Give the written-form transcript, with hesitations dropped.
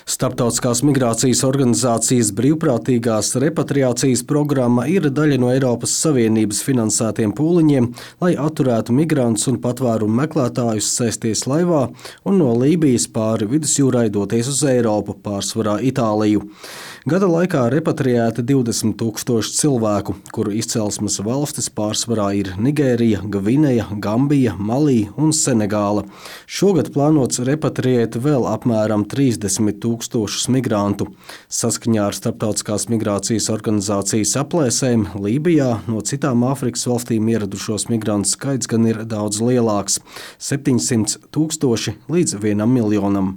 Starptautiskās migrācijas organizācijas brīvprātīgās repatriācijas programma ir daļa no Eiropas Savienības finansētiem pūliņiem, lai atturētu migrantus un patvērumu meklētājus sēsties laivā un no Lībijas pāri vidusjūrai doties uz Eiropu, pārsvarā Itāliju. Gada laikā repatriēti 20 000 cilvēku, kuru izcelsmes valstis pārsvarā ir Nigērija, Gvineja, Gambija, Malī un Senegāla. Šogad plānots repatriēt vēl apmēram 30 000 migrantu. Saskaņā ar Starptautiskās migrācijas organizācijas aplēsēm Lībijā no citām Āfrikas valstīm ieradušos migrantu skaits gan ir daudz lielāks – 700 000 līdz 1 miljonam.